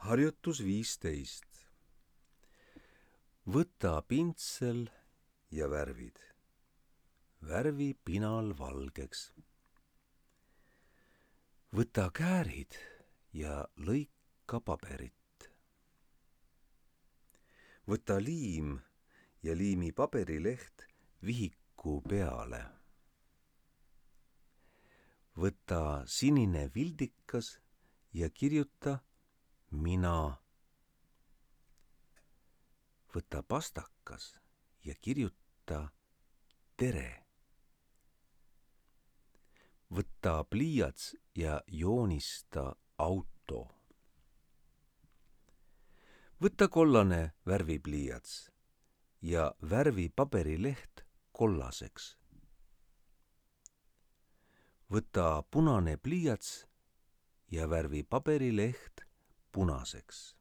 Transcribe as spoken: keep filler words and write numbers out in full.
Harjutus viisteist. Võta pintsel ja värvid. Värvi pinal valgeks. Võta käärid ja lõika paberit. Võta liim ja liimi paberileht vihiku peale. Võta sinine vildikas ja kirjuta mina. Võta pastakas ja kirjuta tere. Võta pliiats ja joonista auto. Võta kollane värvipliiats ja värvi paberileht kollaseks. Võta punane pliiats ja värvi paberileht punaseks.